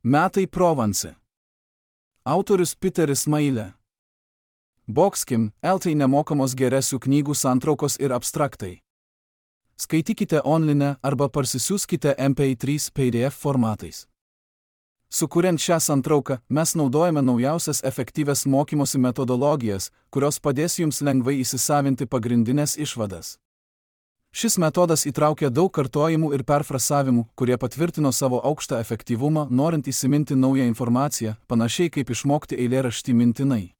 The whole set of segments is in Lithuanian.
Metai Provence. Autorius Peteris Mailė. Boxkim, LT nemokamos geresių knygų santraukos ir abstraktai. Skaitykite online arba parsisiųskite MP3 PDF formatais. Sukuriant šią santrauką, mes naudojame naujausias efektyvias mokymosi metodologijas, kurios padės jums lengvai įsisavinti pagrindinės išvadas. Šis metodas įtraukia daug kartojimų ir perfrasavimų, kurie patvirtino savo aukštą efektyvumą, norint įsiminti naują informaciją, panašiai kaip išmokti eilėraštį mintinai.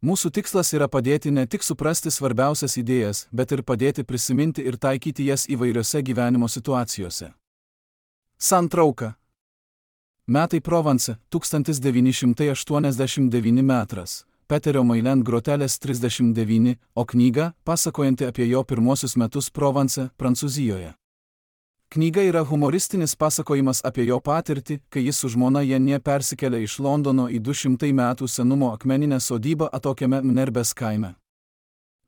Mūsų tikslas yra padėti ne tik suprasti svarbiausias idėjas, bet ir padėti prisiminti ir taikyti jas įvairiose gyvenimo situacijose. Santrauka. Metai Provence, 1989 metras. Peterio Mailė grotelės 39, o knyga, pasakojanti apie jo pirmosius metus Provence, Prancūzijoje. Knyga yra humoristinis pasakojimas apie jo patirtį, kai jis su žmona Janie persikėlė iš Londono į 200 metų senumo akmeninę sodybą atokiame Mnerbės kaime.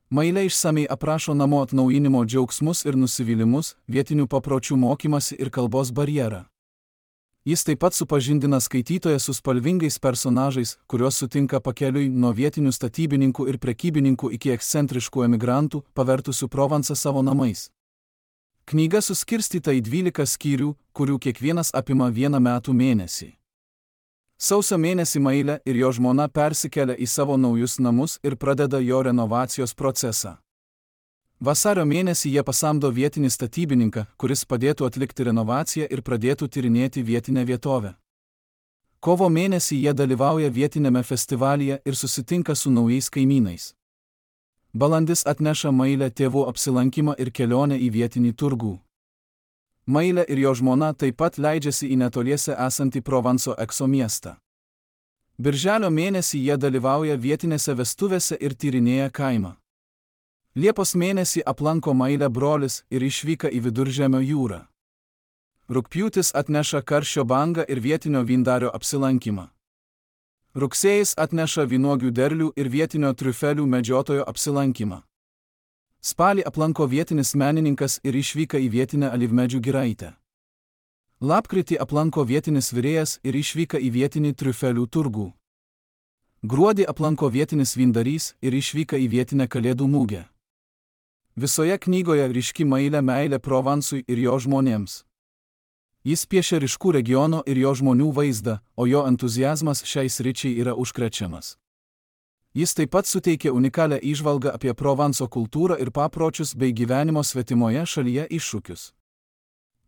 Mailė išsamiai aprašo namo atnaujinimo džiaugsmus ir nusivylimus, vietinių papročių mokymasi ir kalbos barjerą. Jis taip pat supažindina skaitytoją su spalvingais personažais, kuriuos sutinka pakeliui nuo vietinių statybininkų ir prekybininkų iki ekscentriškų emigrantų, pavertusių Provencą savo namais. Knyga suskirstyta į 12 skyrių, kurių kiekvienas apima 1 metų mėnesį. Sausio mėnesį Mailė ir jo žmona persikelia į savo naujus namus ir pradeda jo renovacijos procesą. Vasario mėnesį jie pasamdo vietinį statybininką, kuris padėtų atlikti renovaciją ir pradėtų tyrinėti vietinę vietovę. Kovo mėnesį jie dalyvauja vietinėme festivalyje ir susitinka su naujais kaimynais. Balandis atneša Mailę tėvų apsilankymą ir kelionę į vietinį turgų. Mailė ir jo žmona taip pat leidžiasi į netoliese esantį Provanso Ekso miestą. Birželio mėnesį jie dalyvauja vietinėse vestuvėse ir tyrinėja kaimą. Liepos mėnesį aplanko Mailę brolis ir išvyka į Viduržemio jūrą. Rugpjūtis atneša karščio bangą ir vietinio vyndario apsilankymą. Rugsėjis atneša vynuogių derlių ir vietinio triufelių medžiotojo apsilankymą. Spalį aplanko vietinis menininkas ir išvyka į vietinę alyvmedžių giraitę. Lapkritį aplanko vietinis virėjas ir išvyka į vietinį triufelių turgų. Gruodį aplanko vietinis vyndarys ir išvyka į vietinę kalėdų mugę. Visoje knygoje ryški Mailė meilė Provansui ir jo žmonėms. Jis piešia ryškų regiono ir jo žmonių vaizdą, o jo entuziazmas šiai sričiai yra užkrečiamas. Jis taip pat suteikia unikalią įžvalgą apie Provanso kultūrą ir papročius bei gyvenimo svetimoje šalyje iššūkius.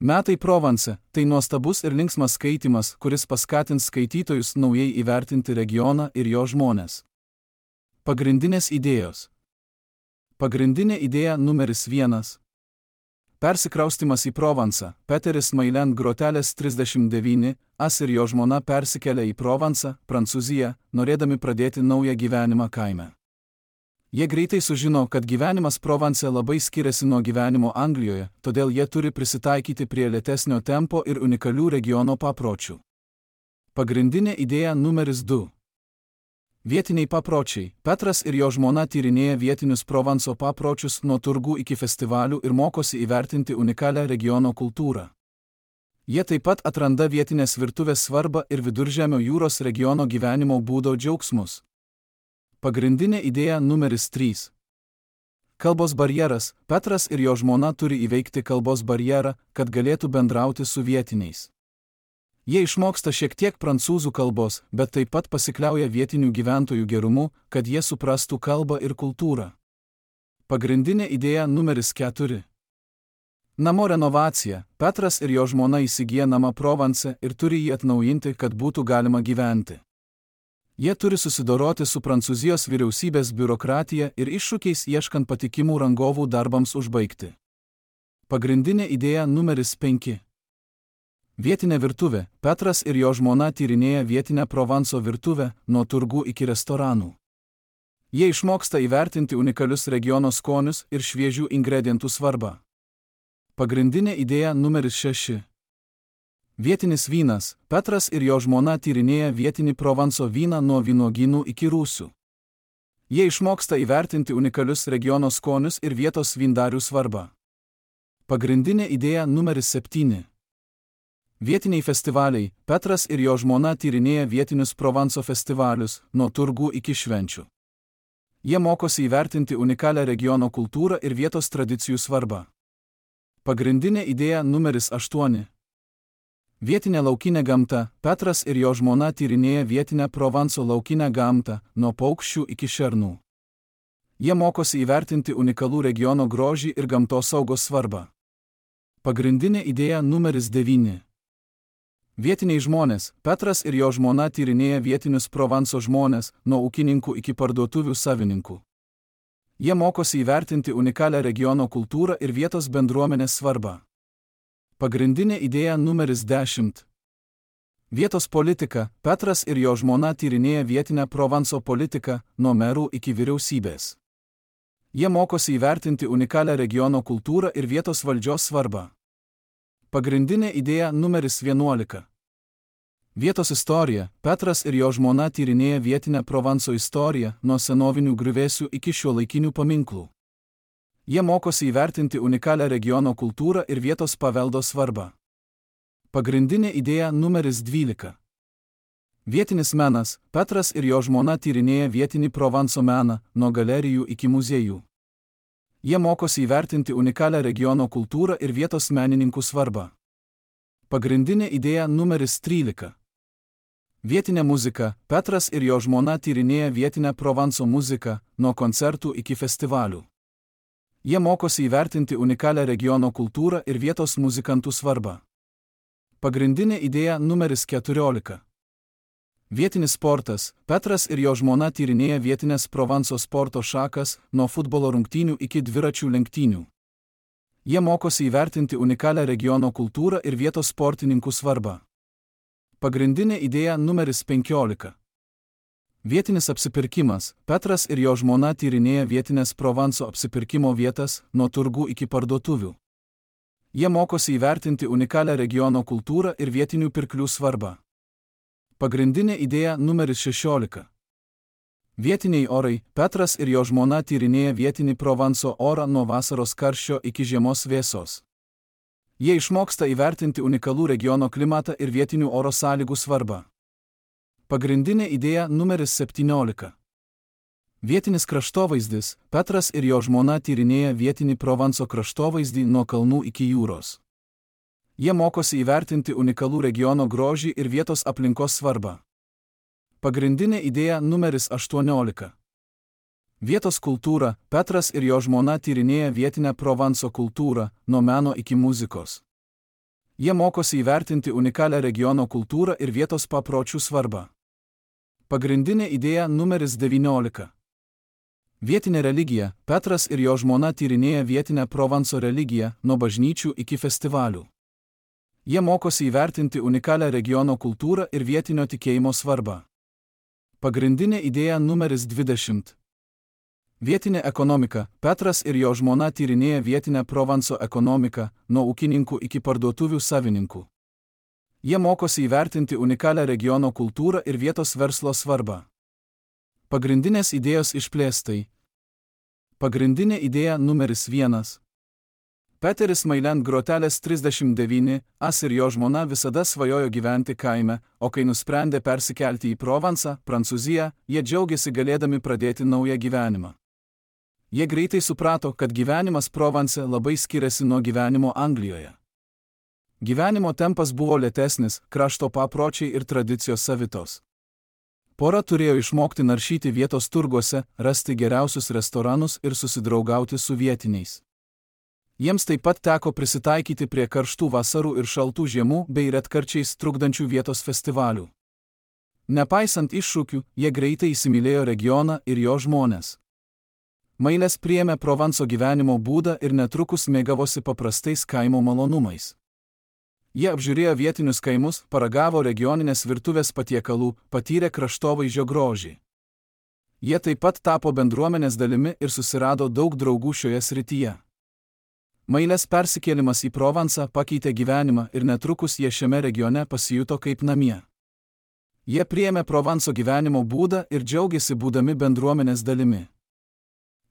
Metai Provence – tai nuostabus ir linksmas skaitymas, kuris paskatins skaitytojus naujai įvertinti regioną ir jo žmones. Pagrindinės idėjos. Pagrindinė idėja numeris 1. Persikraustymas į Provencą. Peteris Mailė grotelės 39, ir jo žmona persikelia į Provencą, Prancūziją, norėdami pradėti naują gyvenimą kaime. Jie greitai sužino, kad gyvenimas Provence labai skiriasi nuo gyvenimo Anglijoje, todėl jie turi prisitaikyti prie lėtesnio tempo ir unikalių regiono papročių. Pagrindinė idėja numeris 2. Vietiniai papročiai. Petras ir jo žmona tyrinėja vietinius Provanso papročius nuo turgų iki festivalių ir mokosi įvertinti unikalią regiono kultūrą. Jie taip pat atranda vietinės virtuvės svarbą ir Viduržemio jūros regiono gyvenimo būdo džiaugsmus. Pagrindinė idėja numeris 3. Kalbos barjeras. Petras ir jo žmona turi įveikti kalbos barjerą, kad galėtų bendrauti su vietiniais. Jie išmoksta šiek tiek prancūzų kalbos, bet taip pat pasikliauja vietinių gyventojų gerumu, kad jie suprastų kalbą ir kultūrą. Pagrindinė idėja numeris 4. Namo renovacija. Petras ir jo žmona įsigyja namą Provence ir turi jį atnaujinti, kad būtų galima gyventi. Jie turi susidoroti su Prancūzijos vyriausybės biurokratija ir iššūkiais ieškant patikimų rangovų darbams užbaigti. Pagrindinė idėja numeris 5. Vietinė virtuvė. Petras ir jo žmona tyrinėja vietinę Provanso virtuvę, nuo turgų iki restoranų. Jie išmoksta įvertinti unikalius regiono skonius ir šviežių ingredientų svarbą. Pagrindinė idėja numeris 6. Vietinis vynas. Petras ir jo žmona tyrinėja vietinį Provanso vyną nuo vynuogynų iki rūsių. Jie išmoksta įvertinti unikalius regiono skonius ir vietos vyndarių svarbą. Pagrindinė idėja numeris 7. Vietiniai festivaliai. Petras ir jo žmona tyrinėja vietinius Provanso festivalius, nuo turgų iki švenčių. Jie mokosi įvertinti unikalią regiono kultūrą ir vietos tradicijų svarbą. Pagrindinė idėja numeris 8. Vietinė laukinė gamta. Petras ir jo žmona tyrinėja vietinę Provanso laukinę gamtą, nuo paukščių iki šernų. Jie mokosi įvertinti unikalų regiono grožį ir gamtosaugos svarbą. Pagrindinė idėja numeris 9. Vietiniai žmonės. Petras ir jo žmona tyrinėja vietinius Provanso žmonės, nuo ūkininkų iki parduotuvių savininkų. Jie mokosi įvertinti unikalią regiono kultūrą ir vietos bendruomenės svarbą. Pagrindinė idėja numeris 10. Vietos politika. Petras ir jo žmona tyrinėja vietinę Provanso politiką, nuo merų iki vyriausybės. Jie mokosi įvertinti unikalią regiono kultūrą ir vietos valdžios svarbą. Pagrindinė idėja numeris 11. Vietos istorija. Petras ir jo žmona tyrinėja vietinę Provanso istoriją, nuo senovinių griuvėsių iki šiuolaikinių paminklų. Jie mokosi įvertinti unikalią regiono kultūrą ir vietos paveldo svarbą. Pagrindinė idėja numeris 12. Vietinis menas. Petras ir jo žmona tyrinėja vietinį Provanso meną, nuo galerijų iki muziejų. Jie mokosi įvertinti unikalią regiono kultūrą ir vietos menininkų svarbą. Pagrindinė idėja numeris 13. Vietinė muzika. Petras ir jo žmona tyrinėja vietinę Provanso muziką, nuo koncertų iki festivalių. Jie mokosi įvertinti unikalią regiono kultūrą ir vietos muzikantų svarbą. Pagrindinė idėja numeris 14. Vietinis sportas. Petras ir jo žmona tyrinėja vietinės Provanso sporto šakas, nuo futbolo rungtynių iki dviračių lenktynių. Jie mokosi įvertinti unikalią regiono kultūrą ir vietos sportininkų svarbą. Pagrindinė idėja numeris 15. Vietinis apsipirkimas. Petras ir jo žmona tyrinėja vietinės Provanso apsipirkimo vietas, nuo turgų iki parduotuvių. Jie mokosi įvertinti unikalią regiono kultūrą ir vietinių pirklių svarbą. Pagrindinė idėja numeris 16. Vietiniai orai. Petras ir jo žmona tyrinėja vietinį Provanso orą, nuo vasaros karščio iki žiemos vėsos. Jie išmoksta įvertinti unikalų regiono klimatą ir vietinių oro sąlygų svarbą. Pagrindinė idėja numeris 17. Vietinis kraštovaizdis. Petras ir jo žmona tyrinėja vietinį Provanso kraštovaizdį, nuo kalnų iki jūros. Jie mokosi įvertinti unikalų regiono grožį ir vietos aplinkos svarbą. Pagrindinė idėja numeris 18. Vietos kultūra. Petras ir jo žmona tyrinėja vietinę Provanso kultūrą, nuo meno iki muzikos. Jie mokosi įvertinti unikalią regiono kultūrą ir vietos papročių svarbą. Pagrindinė idėja numeris 19. Vietinė religija. Petras ir jo žmona tyrinėja vietinę Provanso religiją, nuo bažnyčių iki festivalių. Jie mokosi įvertinti unikalią regiono kultūrą ir vietinio tikėjimo svarbą. Pagrindinė idėja numeris 20. Vietinė ekonomika. Petras ir jo žmona tyrinėja vietinę Provanso ekonomiką, nuo ūkininkų iki parduotuvių savininkų. Jie mokosi įvertinti unikalią regiono kultūrą ir vietos verslo svarbą. Pagrindinės idėjos išplėstai. Pagrindinė idėja numeris 1. Peteris Mailand Groteles 39, as ir jo žmona visada svajojo gyventi kaime, o kai nusprendė persikelti į Provansą, Prancūziją, jie džiaugiasi galėdami pradėti naują gyvenimą. Jie greitai suprato, kad gyvenimas Provanse labai skiriasi nuo gyvenimo Anglijoje. Gyvenimo tempas buvo lėtesnis, krašto papročiai ir tradicijos savitos. Pora turėjo išmokti naršyti vietos turguose, rasti geriausius restoranus ir susidraugauti su vietiniais. Jiems taip pat teko prisitaikyti prie karštų vasarų ir šaltų žiemų bei retkarčiais trukdančių vietos festivalių. Nepaisant iššūkių, jie greitai įsimylėjo regioną ir jo žmones. Mailes priėmė Provanso gyvenimo būdą ir netrukus mėgavosi paprastais kaimo malonumais. Jie apžiūrėjo vietinius kaimus, paragavo regioninės virtuvės patiekalų, patyrė kraštovaizdžio grožį. Jie taip pat tapo bendruomenės dalimi ir susirado daug draugų šioje srityje. Mailes persikėlimas į Provansą pakeitė gyvenimą ir netrukus jie šiame regione pasijuto kaip namie. Jie priėmė Provanso gyvenimo būdą ir džiaugiasi būdami bendruomenės dalimi.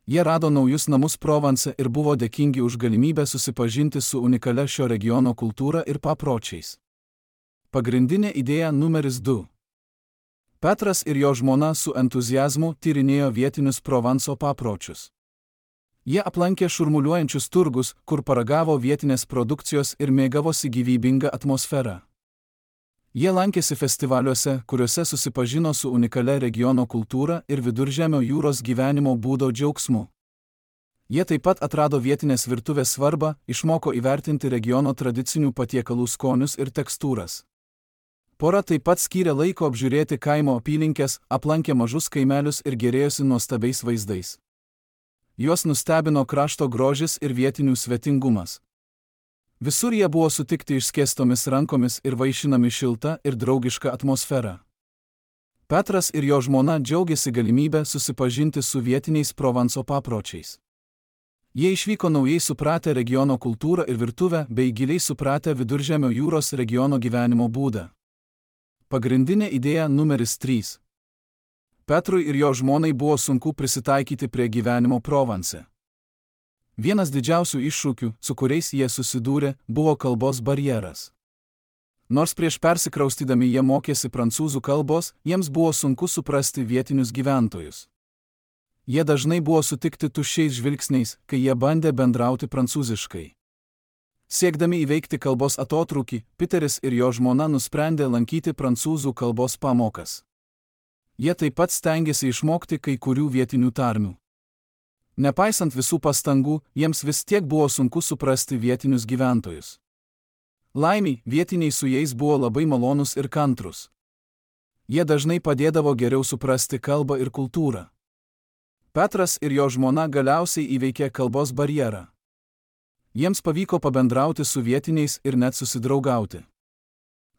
Jie rado naujus namus Provanse ir buvo dėkingi už galimybę susipažinti su unikalia šio regiono kultūra ir papročiais. Pagrindinė idėja numeris 2. Petras ir jo žmona su entuziazmu tyrinėjo vietinius Provanso papročius. Jie aplankė šurmuliuojančius turgus, kur paragavo vietinės produkcijos ir mėgavosi gyvybinga atmosfera. Jie lankėsi festivaliuose, kuriuose susipažino su unikalia regiono kultūra ir Viduržemio jūros gyvenimo būdo džiaugsmu. Jie taip pat atrado vietinės virtuvės svarbą, išmoko įvertinti regiono tradicinių patiekalų skonius ir tekstūras. Pora taip pat skyrė laiko apžiūrėti kaimo apylinkes, aplankė mažus kaimelius ir gėrėjosi nuostabiais vaizdais. Juos nustebino krašto grožis ir vietinių svetingumas. Visur jie buvo sutikti išskėstomis rankomis ir vaišinami šilta ir draugiška atmosfera. Petras ir jo žmona džiaugiasi galimybę susipažinti su vietiniais Provanso papročiais. Jie išvyko naujai supratę regiono kultūrą ir virtuvę bei giliai supratę Viduržemio jūros regiono gyvenimo būdą. Pagrindinė idėja numeris 3. Petrui ir jo žmonai buvo sunku prisitaikyti prie gyvenimo Provanse. Vienas didžiausių iššūkių, su kuriais jie susidūrė, buvo kalbos barjeras. Nors prieš persikraustydami jie mokėsi prancūzų kalbos, jiems buvo sunku suprasti vietinius gyventojus. Jie dažnai buvo sutikti tuščiais žvilgsniais, kai jie bandė bendrauti prancūziškai. Siekdami įveikti kalbos atotrūkį, Peteris ir jo žmona nusprendė lankyti prancūzų kalbos pamokas. Jie taip pat stengėsi išmokti kai kurių vietinių tarmių. Nepaisant visų pastangų, jiems vis tiek buvo sunku suprasti vietinius gyventojus. Laimiai, vietiniai su jais buvo labai malonūs ir kantrūs. Jie dažnai padėdavo geriau suprasti kalbą ir kultūrą. Petras ir jo žmona galiausiai įveikė kalbos barjerą. Jiems pavyko pabendrauti su vietiniais ir net susidraugauti.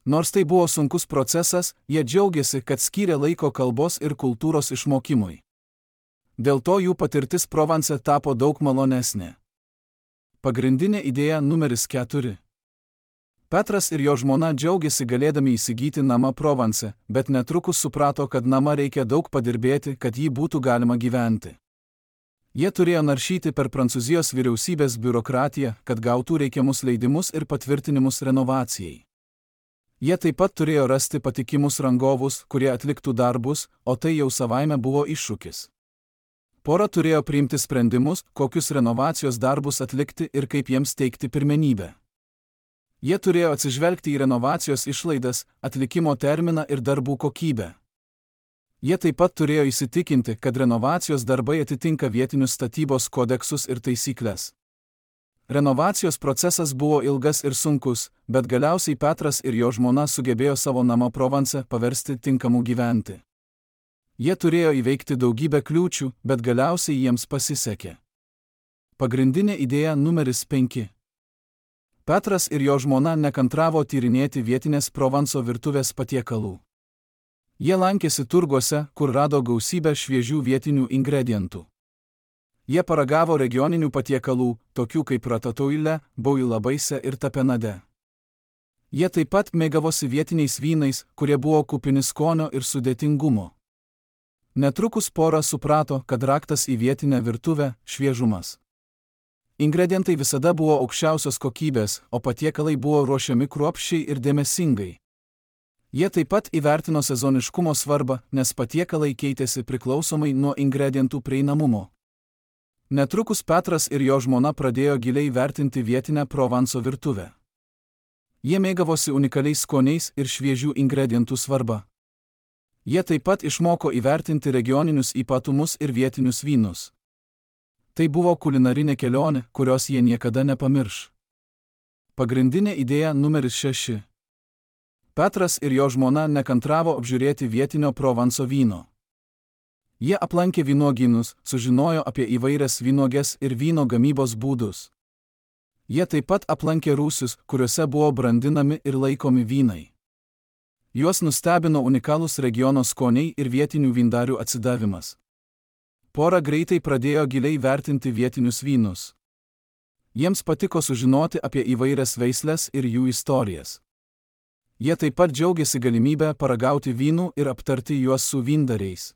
Nors tai buvo sunkus procesas, jie džiaugiasi, kad skyrė laiko kalbos ir kultūros išmokimui. Dėl to jų patirtis Provanse tapo daug malonesnė. Pagrindinė idėja numeris 4. Petras ir jo žmona džiaugiasi galėdami įsigyti namą Provanse, bet netrukus suprato, kad namą reikia daug padirbėti, kad jį būtų galima gyventi. Jie turėjo naršyti per Prancūzijos vyriausybės biurokratiją, kad gautų reikiamus leidimus ir patvirtinimus renovacijai. Jie taip pat turėjo rasti patikimus rangovus, kurie atliktų darbus, o tai jau savaime buvo iššūkis. Pora turėjo priimti sprendimus, kokius renovacijos darbus atlikti ir kaip jiems teikti pirmenybę. Jie turėjo atsižvelgti į renovacijos išlaidas, atlikimo terminą ir darbų kokybę. Jie taip pat turėjo įsitikinti, kad renovacijos darbai atitinka vietinius statybos kodeksus ir taisyklės. Renovacijos procesas buvo ilgas ir sunkus, bet galiausiai Petras ir jo žmona sugebėjo savo namą Provanse paversti tinkamu gyventi. Jie turėjo įveikti daugybę kliūčių, bet galiausiai jiems pasisekė. Pagrindinė idėja numeris 5. Petras ir jo žmona nekantravo tyrinėti vietinės Provanso virtuvės patiekalų. Jie lankėsi turguose, kur rado gausybę šviežių vietinių ingredientų. Jie paragavo regioninių patiekalų, tokių kaip ratatouille, bouillabaisse ir tapenade. Jie taip pat mėgavosi vietiniais vynais, kurie buvo kupini skonio ir sudėtingumo. Netrukus pora suprato, kad raktas į vietinę virtuvę – šviežumas. Ingredientai visada buvo aukščiausios kokybės, o patiekalai buvo ruošiami kruopščiai ir dėmesingai. Jie taip pat įvertino sezoniškumo svarbą, nes patiekalai keitėsi priklausomai nuo ingredientų prieinamumo. Netrukus Petras ir jo žmona pradėjo giliai vertinti vietinę Provanso virtuvę. Jie mėgavosi unikaliais skoniais ir šviežių ingredientų svarba. Jie taip pat išmoko įvertinti regioninius ypatumus ir vietinius vynus. Tai buvo kulinarinė kelionė, kurios jie niekada nepamirš. Pagrindinė idėja numeris 6. Petras ir jo žmona nekantravo apžiūrėti vietinio Provanso vyno. Jie aplankė vynuogynus, sužinojo apie įvairias vynuoges ir vyno gamybos būdus. Jie taip pat aplankė rūsius, kuriuose buvo brandinami ir laikomi vynai. Juos nustebino unikalūs regiono skoniai ir vietinių vyndarių atsidavimas. Pora greitai pradėjo giliai vertinti vietinius vynus. Jiems patiko sužinoti apie įvairias veisles ir jų istorijas. Jie taip pat džiaugiasi galimybę paragauti vynų ir aptarti juos su vyndariais.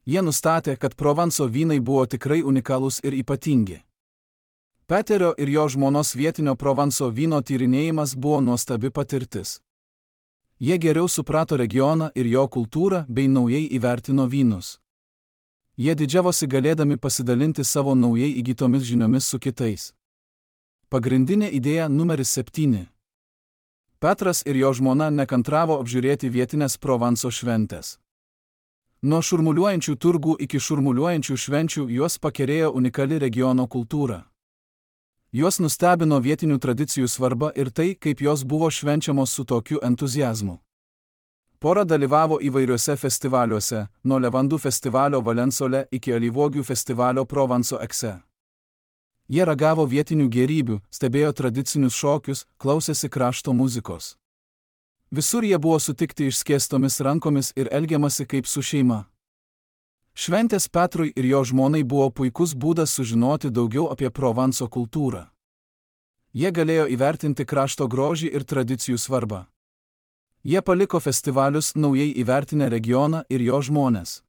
Jie nustatė, kad Provanso vynai buvo tikrai unikalūs ir ypatingi. Peterio ir jo žmonos vietinio Provanso vyno tyrinėjimas buvo nuostabi patirtis. Jie geriau suprato regioną ir jo kultūrą bei naujai įvertino vynus. Jie didžiavosi galėdami pasidalinti savo naujai įgytomis žiniomis su kitais. Pagrindinė idėja numeris 7. Petras ir jo žmona nekantravo apžiūrėti vietinės Provanso šventės. Nuo šurmuliuojančių turgų iki šurmuliuojančių švenčių juos pakerėjo unikali regiono kultūra. Juos nustebino vietinių tradicijų svarba ir tai, kaip jos buvo švenčiamos su tokiu entuziazmu. Pora dalyvavo įvairiuose festivaliuose, nuo Levandų festivalio Valensole iki alyvuogių festivalio Provanso Ekse. Jie ragavo vietinių gėrybių, stebėjo tradicinius šokius, klausėsi krašto muzikos. Visur jie buvo sutikti išskėstomis rankomis ir elgiamasi kaip su šeima. Šventės Petrui ir jo žmonai buvo puikus būdas sužinoti daugiau apie Provanso kultūrą. Jie galėjo įvertinti krašto grožį ir tradicijų svarbą. Jie paliko festivalius naujai įvertinę regioną ir jo žmones.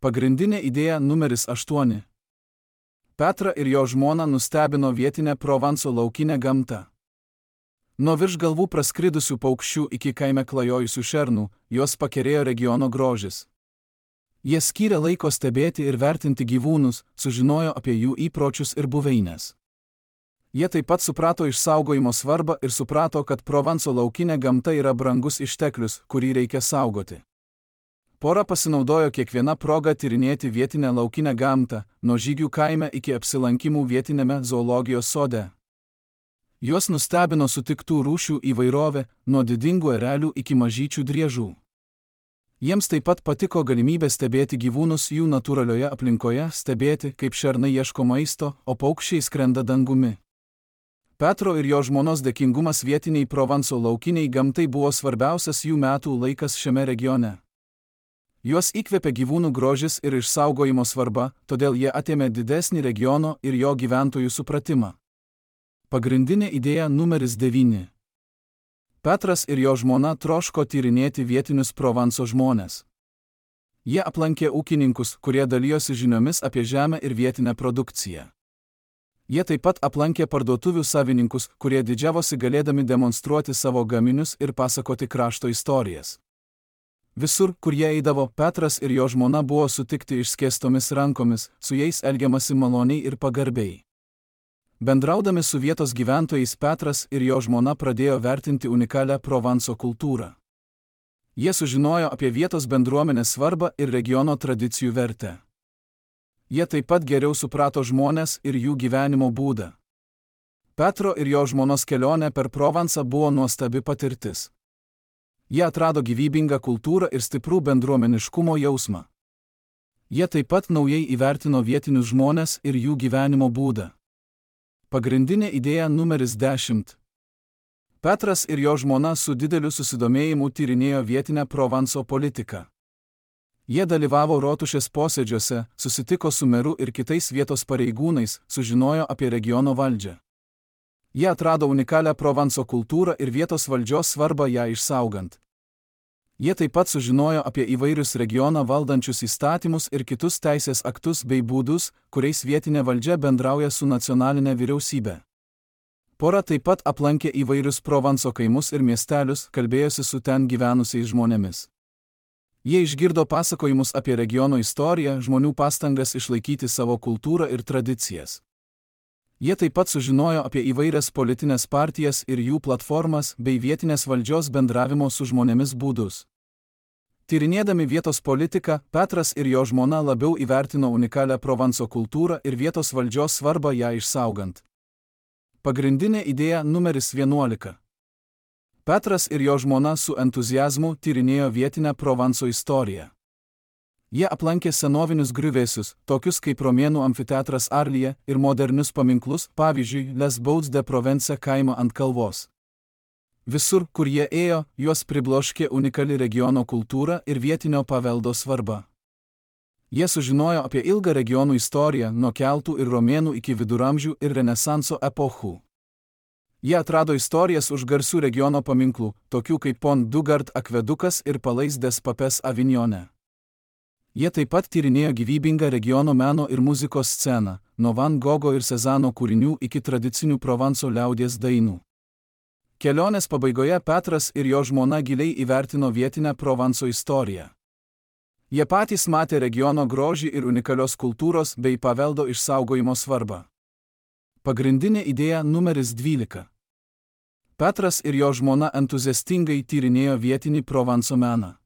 Pagrindinė idėja numeris 8. Petrą ir jo žmoną nustebino vietinę Provanso laukinę gamtą. Nuo virš galvų praskridusių paukščių iki kaime klajojusių šernų, juos pakerėjo regiono grožis. Jie skyrė laiko stebėti ir vertinti gyvūnus, sužinojo apie jų įpročius ir buveines. Jie taip pat suprato išsaugojimo svarbą ir suprato, kad Provanso laukinė gamta yra brangus išteklius, kurį reikia saugoti. Pora pasinaudojo kiekvieną progą tyrinėti vietinę laukinę gamtą, nuo žygių kaime iki apsilankimų vietinėme zoologijos sode. Juos nustebino sutiktų rūšių įvairovė, nuo didingų erelių iki mažyčių driežų. Jiems taip pat patiko galimybė stebėti gyvūnus jų natūralioje aplinkoje, stebėti, kaip šernai ieško maisto, o paukščiai skrenda dangumi. Petro ir jo žmonos dėkingumas vietiniai Provanso laukiniai gamtai buvo svarbiausias jų metų laikas šiame regione. Juos įkvėpė gyvūnų grožis ir išsaugojimo svarba, todėl jie atėmė didesnį regiono ir jo gyventojų supratimą. Pagrindinė idėja numeris 9. Petras ir jo žmona troško tyrinėti vietinius Provanso žmones. Jie aplankė ūkininkus, kurie dalijosi žiniomis apie žemę ir vietinę produkciją. Jie taip pat aplankė parduotuvių savininkus, kurie didžiavosi galėdami demonstruoti savo gaminius ir pasakoti krašto istorijas. Visur, kur jie eidavo, Petras ir jo žmona buvo sutikti išskėstomis rankomis, su jais elgiamasi maloniai ir pagarbiai. Bendraudami su vietos gyventojais, Petras ir jo žmona pradėjo vertinti unikalią Provanso kultūrą. Jie sužinojo apie vietos bendruomenės svarbą ir regiono tradicijų vertę. Jie taip pat geriau suprato žmones ir jų gyvenimo būdą. Petro ir jo žmonos kelionė per Provansą buvo nuostabi patirtis. Jie atrado gyvybingą kultūrą ir stiprų bendruomeniškumo jausmą. Jie taip pat naujai įvertino vietinius žmones ir jų gyvenimo būdą. Pagrindinė idėja numeris 10. Petras ir jo žmona su dideliu susidomėjimu tyrinėjo vietinę Provanso politiką. Jie dalyvavo rotušės posėdžiuose, susitiko su meru ir kitais vietos pareigūnais, sužinojo apie regiono valdžią. Jie atrado unikalią Provanso kultūrą ir vietos valdžios svarbą ją išsaugant. Jie taip pat sužinojo apie įvairius regioną valdančius įstatymus ir kitus teisės aktus bei būdus, kuriais vietinė valdžia bendrauja su nacionalinė vyriausybė. Pora taip pat aplankė įvairius Provanso kaimus ir miestelius, kalbėjosi su ten gyvenusiais žmonėmis. Jie išgirdo pasakojimus apie regiono istoriją, žmonių pastangas išlaikyti savo kultūrą ir tradicijas. Jie taip pat sužinojo apie įvairias politinės partijas ir jų platformas bei vietinės valdžios bendravimo su žmonėmis būdus. Tyrinėdami vietos politiką, Petras ir jo žmona labiau įvertino unikalią Provanso kultūrą ir vietos valdžios svarbą ją išsaugant. Pagrindinė idėja numeris 11. Petras ir jo žmona su entuziazmu tyrinėjo vietinę Provanso istoriją. Jie aplankė senovinius griuvėsius, tokius kaip romėnų amfiteatras Arlyje, ir modernius paminklus, pavyzdžiui, Les Bauds de Provence kaimo ant kalvos. Visur, kur jie ėjo, juos pribloškė unikali regiono kultūra ir vietinio paveldo svarba. Jie sužinojo apie ilgą regionų istoriją nuo keltų ir romėnų iki viduramžių ir renesanso epochų. Jie atrado istorijas už garsių regiono paminklų, tokių kaip Pont du Gard akvedukas ir Palais des Papes Avignone. Jie taip pat tyrinėjo gyvybingą regiono meno ir muzikos sceną, nuo Van Gogo ir Cezano kūrinių iki tradicinių Provanso liaudies dainų. Kelionės pabaigoje Petras ir jo žmona giliai įvertino vietinę Provanso istoriją. Jie patys matė regiono grožį ir unikalios kultūros bei paveldo išsaugojimo svarbą. Pagrindinė idėja numeris 12. Petras ir jo žmona entuziastingai tyrinėjo vietinį Provanso meną.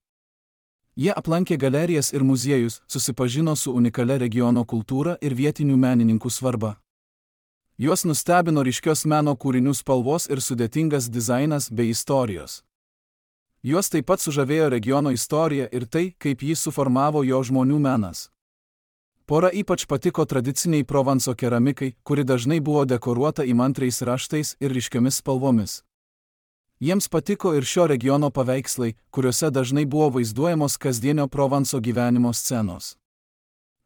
Jie aplankė galerijas ir muziejus, susipažino su unikalia regiono kultūra ir vietinių menininkų svarba. Juos nustebino ryškios meno kūrinių spalvos ir sudėtingas dizainas bei istorijos. Juos taip pat sužavėjo regiono istorija ir tai, kaip jį suformavo jo žmonių menas. Pora ypač patiko tradiciniai Provanso keramikai, kuri dažnai buvo dekoruota įmantriais raštais ir ryškiomis spalvomis. Jiems patiko ir šio regiono paveikslai, kuriuose dažnai buvo vaizduojamos kasdienio Provanso gyvenimo scenos.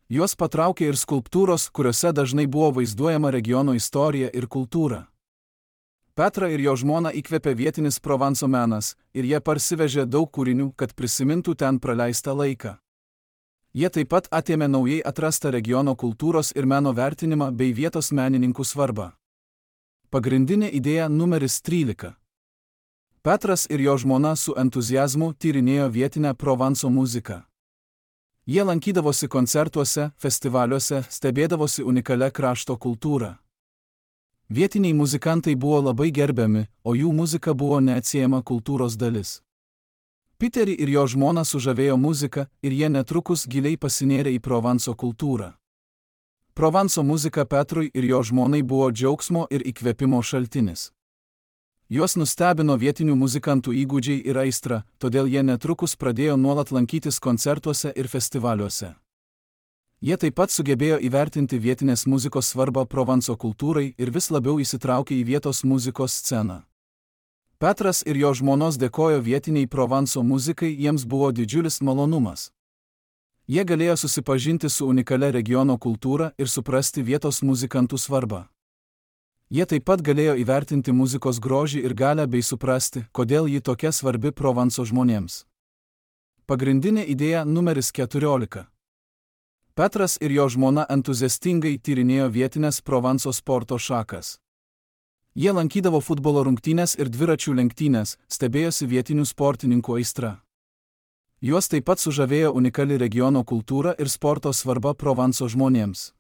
Juos patraukė ir skulptūros, kuriuose dažnai buvo vaizduojama regiono istorija ir kultūra. Petrą ir jo žmoną įkvėpė vietinis Provanso menas, ir jie parsivežė daug kūrinių, kad prisimintų ten praleistą laiką. Jie taip pat atėmė naujai atrastą regiono kultūros ir meno vertinimą bei vietos menininkų svarbą. Pagrindinė idėja numeris 13. Petras ir jo žmona su entuziazmu tyrinėjo vietinę Provanso muziką. Jie lankydavosi koncertuose, festivaliuose, stebėdavosi unikalia krašto kultūra. Vietiniai muzikantai buvo labai gerbiami, o jų muzika buvo neatsiejama kultūros dalis. Peterį ir jo žmoną sužavėjo muzika ir jie netrukus giliai pasinėrė į Provanso kultūrą. Provanso muzika Petrui ir jo žmonai buvo džiaugsmo ir įkvėpimo šaltinis. Juos nustebino vietinių muzikantų įgūdžiai ir aistra, todėl jie netrukus pradėjo nuolat lankytis koncertuose ir festivaliuose. Jie taip pat sugebėjo įvertinti vietinės muzikos svarbą Provanso kultūrai ir vis labiau įsitraukė į vietos muzikos sceną. Petras ir jo žmonos dėkojo vietiniai Provanso muzikai, jiems buvo didžiulis malonumas. Jie galėjo susipažinti su unikalia regiono kultūra ir suprasti vietos muzikantų svarbą. Jie taip pat galėjo įvertinti muzikos grožį ir galią bei suprasti, kodėl ji tokia svarbi Provanso žmonėms. Pagrindinė idėja numeris 14. Petras ir jo žmona entuziastingai tyrinėjo vietinės Provanso sporto šakas. Jie lankydavo futbolo rungtynes ir dviračių lenktynės, stebėjosi vietinių sportininkų aistra. Juos taip pat sužavėjo unikali regiono kultūra ir sporto svarba Provanso žmonėms.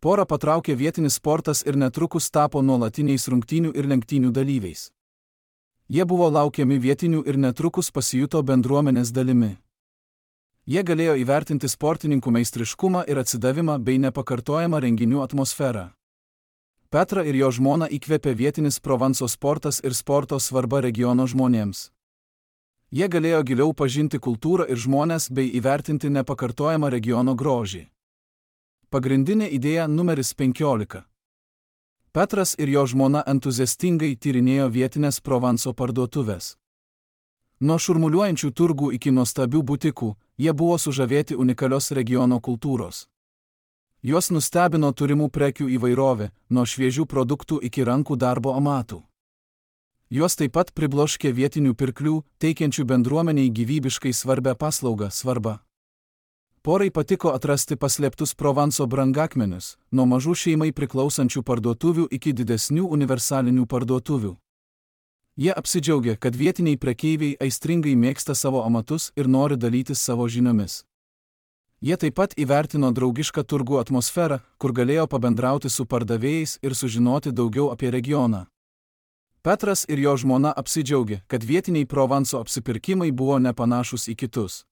Porą patraukė vietinis sportas ir netrukus tapo nuolatiniais rungtynių ir lenktynių dalyviais. Jie buvo laukiami vietinių ir netrukus pasijuto bendruomenės dalimi. Jie galėjo įvertinti sportininkų meistriškumą ir atsidavimą bei nepakartojamą renginių atmosferą. Petrą ir jo žmoną įkvėpė vietinis Provanso sportas ir sporto svarba regiono žmonėms. Jie galėjo giliau pažinti kultūrą ir žmones bei įvertinti nepakartojamą regiono grožį. Pagrindinė idėja numeris 15. Petras ir jo žmona entuziastingai tyrinėjo vietinės Provanso parduotuvės. Nuo šurmuliuojančių turgų iki nuostabių butikų, jie buvo sužavėti unikalios regiono kultūros. Juos nustebino turimų prekių įvairovė, nuo šviežių produktų iki rankų darbo amatų. Juos taip pat pribloškė vietinių pirklių, teikiančių bendruomeniai gyvybiškai svarbią paslaugą svarbą. Porai patiko atrasti paslėptus Provanso brangakmenius, nuo mažų šeimai priklausančių parduotuvių iki didesnių universalinių parduotuvių. Jie apsidžiaugė, kad vietiniai prekeiviai aistringai mėgsta savo amatus ir nori dalytis savo žiniomis. Jie taip pat įvertino draugišką turgų atmosferą, kur galėjo pabendrauti su pardavėjais ir sužinoti daugiau apie regioną. Petras ir jo žmona apsidžiaugė, kad vietiniai Provanso apsipirkimai buvo nepanašus į kitus.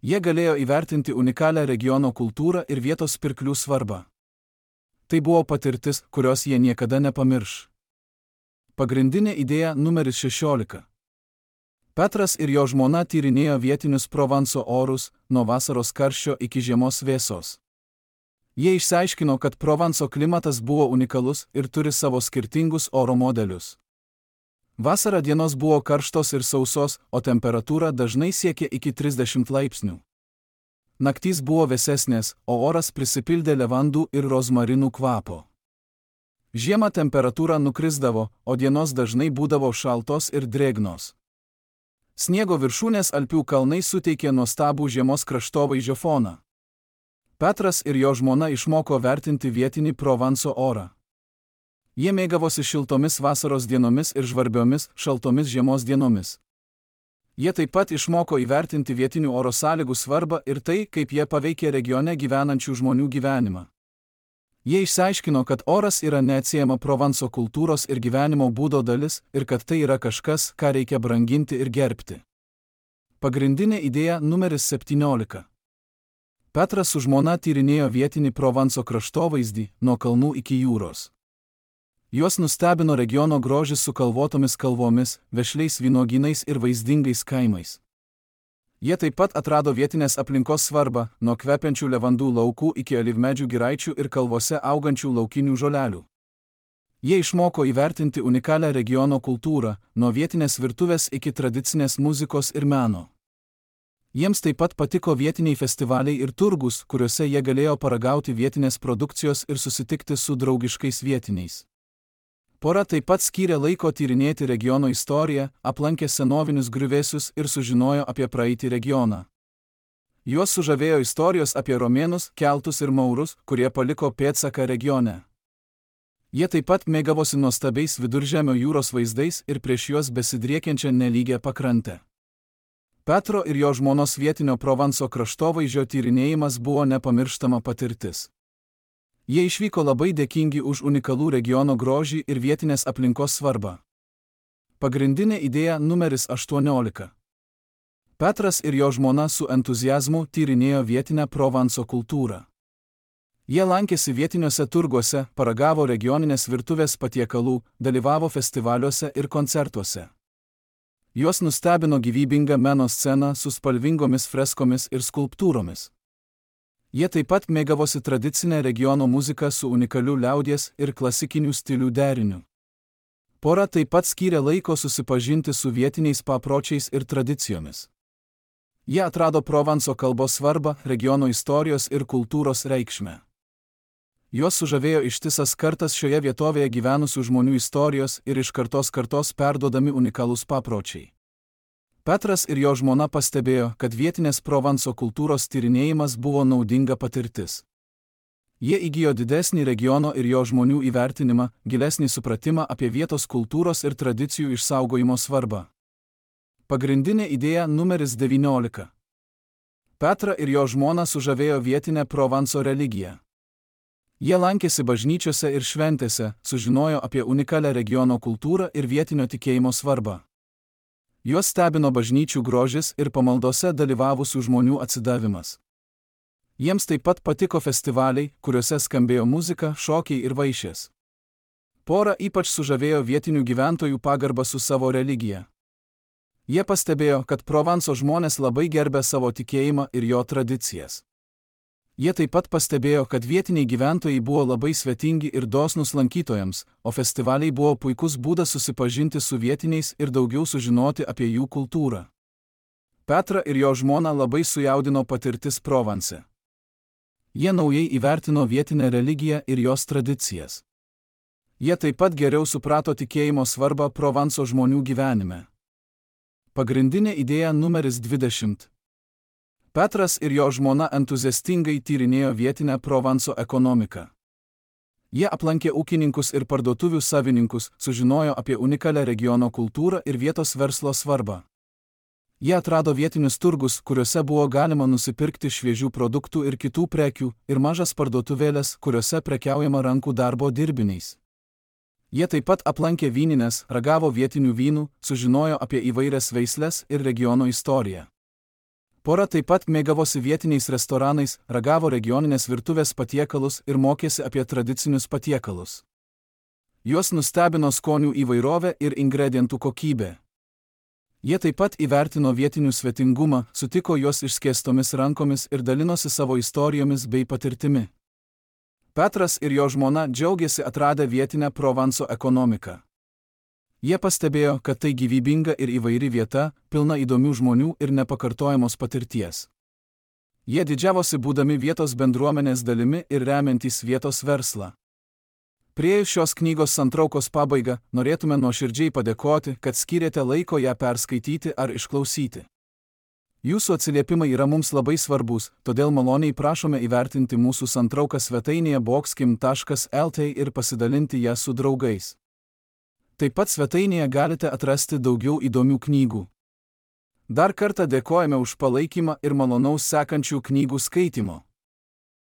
Jie galėjo įvertinti unikalią regiono kultūrą ir vietos pirklių svarbą. Tai buvo patirtis, kurios jie niekada nepamirš. Pagrindinė idėja numeris 16. Petras ir jo žmona tyrinėjo vietinius Provanso orus, nuo vasaros karščio iki žiemos vėsos. Jie išsiaiškino, kad Provanso klimatas buvo unikalus ir turi savo skirtingus oro modelius. Vasarą dienos buvo karštos ir sausos, o temperatūra dažnai siekė iki 30 laipsnių. Naktys buvo vėsesnės, o oras prisipildė levandų ir rozmarinų kvapo. Žiemą temperatūra nukrisdavo, o dienos dažnai būdavo šaltos ir drėgnos. Sniego viršūnės Alpių kalnai suteikė nuostabų žiemos kraštovaizdžio foną. Petras ir jo žmona išmoko vertinti vietinį Provanso orą. Jie mėgavosi šiltomis vasaros dienomis ir žvarbiomis, šaltomis žiemos dienomis. Jie taip pat išmoko įvertinti vietinių oro sąlygų svarbą ir tai, kaip jie paveikė regione gyvenančių žmonių gyvenimą. Jie išsiaiškino, kad oras yra neatsiejama Provanso kultūros ir gyvenimo būdo dalis ir kad tai yra kažkas, ką reikia branginti ir gerbti. Pagrindinė idėja numeris 17. Petras su žmona tyrinėjo vietinį Provanso kraštovaizdį nuo kalnų iki jūros. Juos nustebino regiono grožis su kalvotomis kalvomis, vešliais vynuogynais ir vaizdingais kaimais. Jie taip pat atrado vietinės aplinkos svarbą, nuo kvepiančių levandų laukų iki alyvmedžių giraičių ir kalvose augančių laukinių žolelių. Jie išmoko įvertinti unikalią regiono kultūrą, nuo vietinės virtuvės iki tradicinės muzikos ir meno. Jiems taip pat patiko vietiniai festivaliai ir turgus, kuriuose jie galėjo paragauti vietinės produkcijos ir susitikti su draugiškais vietiniais. Pora taip pat skyrė laiko tyrinėti regiono istoriją, aplankė senovinius griuvėsius ir sužinojo apie praeitį regioną. Juos sužavėjo istorijos apie romėnus, keltus ir maurus, kurie paliko pėdsaką regione. Jie taip pat mėgavosi nuostabiais Viduržemio jūros vaizdais ir prieš juos besidriekiančią nelygę pakrantę. Petro ir jo žmonos vietinio Provanso kraštovaizdžio tyrinėjimas buvo nepamirštama patirtis. Jie išvyko labai dėkingi už unikalų regiono grožį ir vietinės aplinkos svarbą. Pagrindinė idėja numeris 18. Petras ir jo žmona su entuziazmu tyrinėjo vietinę Provanso kultūrą. Jie lankėsi vietiniuose turguose, paragavo regioninės virtuvės patiekalų, dalyvavo festivaliuose ir koncertuose. Juos nustebino gyvybinga meno scena su spalvingomis freskomis ir skulptūromis. Jie taip pat mėgavosi tradicinę regiono muziką su unikaliu liaudies ir klasikinių stilių deriniu. Pora taip pat skyrė laiko susipažinti su vietiniais papročiais ir tradicijomis. Jie atrado Provanso kalbos svarbą, regiono istorijos ir kultūros reikšmę. Juos sužavėjo ištisas kartas šioje vietovėje gyvenusių žmonių istorijos ir iš kartos perduodami unikalūs papročiai. Petras ir jo žmona pastebėjo, kad vietinės Provanso kultūros tyrinėjimas buvo naudinga patirtis. Jie įgijo didesnį regiono ir jo žmonių įvertinimą, gilesnį supratimą apie vietos kultūros ir tradicijų išsaugojimo svarbą. Pagrindinė idėja numeris 19. Petrą ir jo žmona sužavėjo vietinę Provanso religiją. Jie lankėsi bažnyčiose ir šventėse, sužinojo apie unikalią regiono kultūrą ir vietinio tikėjimo svarbą. Juos stebino bažnyčių grožis ir pamaldose dalyvavusių žmonių atsidavimas. Jiems taip pat patiko festivaliai, kuriuose skambėjo muzika, šokiai ir vaišės. Pora ypač sužavėjo vietinių gyventojų pagarbą su savo religija. Jie pastebėjo, kad Provanso žmonės labai gerbė savo tikėjimą ir jo tradicijas. Jie taip pat pastebėjo, kad vietiniai gyventojai buvo labai svetingi ir dosnūs lankytojams, o festivaliai buvo puikus būdas susipažinti su vietiniais ir daugiau sužinoti apie jų kultūrą. Petrą ir jo žmoną labai sujaudino patirtis Provanse. Jie naujai įvertino vietinę religiją ir jos tradicijas. Jie taip pat geriau suprato tikėjimo svarbą Provanso žmonių gyvenime. Pagrindinė idėja numeris 20. Petras ir jo žmona entuziastingai tyrinėjo vietinę Provanso ekonomiką. Jie aplankė ūkininkus ir parduotuvių savininkus, sužinojo apie unikalią regiono kultūrą ir vietos verslo svarbą. Jie atrado vietinius turgus, kuriuose buvo galima nusipirkti šviežių produktų ir kitų prekių, ir mažas parduotuvėlės, kuriuose prekiaujama rankų darbo dirbiniais. Jie taip pat aplankė vynines, ragavo vietinių vynų, sužinojo apie įvairias veisles ir regiono istoriją. Pora taip pat mėgavosi vietiniais restoranais, ragavo regioninės virtuvės patiekalus ir mokėsi apie tradicinius patiekalus. Juos nustebino skonių įvairovė ir ingredientų kokybė. Jie taip pat įvertino vietinių svetingumą, sutiko juos išskėstomis rankomis ir dalinosi savo istorijomis bei patirtimi. Petras ir jo žmona džiaugiasi atradę vietinę Provanso ekonomiką. Jie pastebėjo, kad tai gyvybinga ir įvairi vieta, pilna įdomių žmonių ir nepakartojamos patirties. Jie didžiavosi būdami vietos bendruomenės dalimi ir remiantys vietos verslą. Priėjus šios knygos santraukos pabaigą, norėtume nuoširdžiai padėkoti, kad skyrėte laiko ją perskaityti ar išklausyti. Jūsų atsiliepimai yra mums labai svarbus, todėl maloniai prašome įvertinti mūsų santrauką svetainėje boxkim.lt ir pasidalinti ją su draugais. Taip pat svetainėje galite atrasti daugiau įdomių knygų. Dar kartą dėkojame už palaikymą ir malonaus sekančių knygų skaitymo.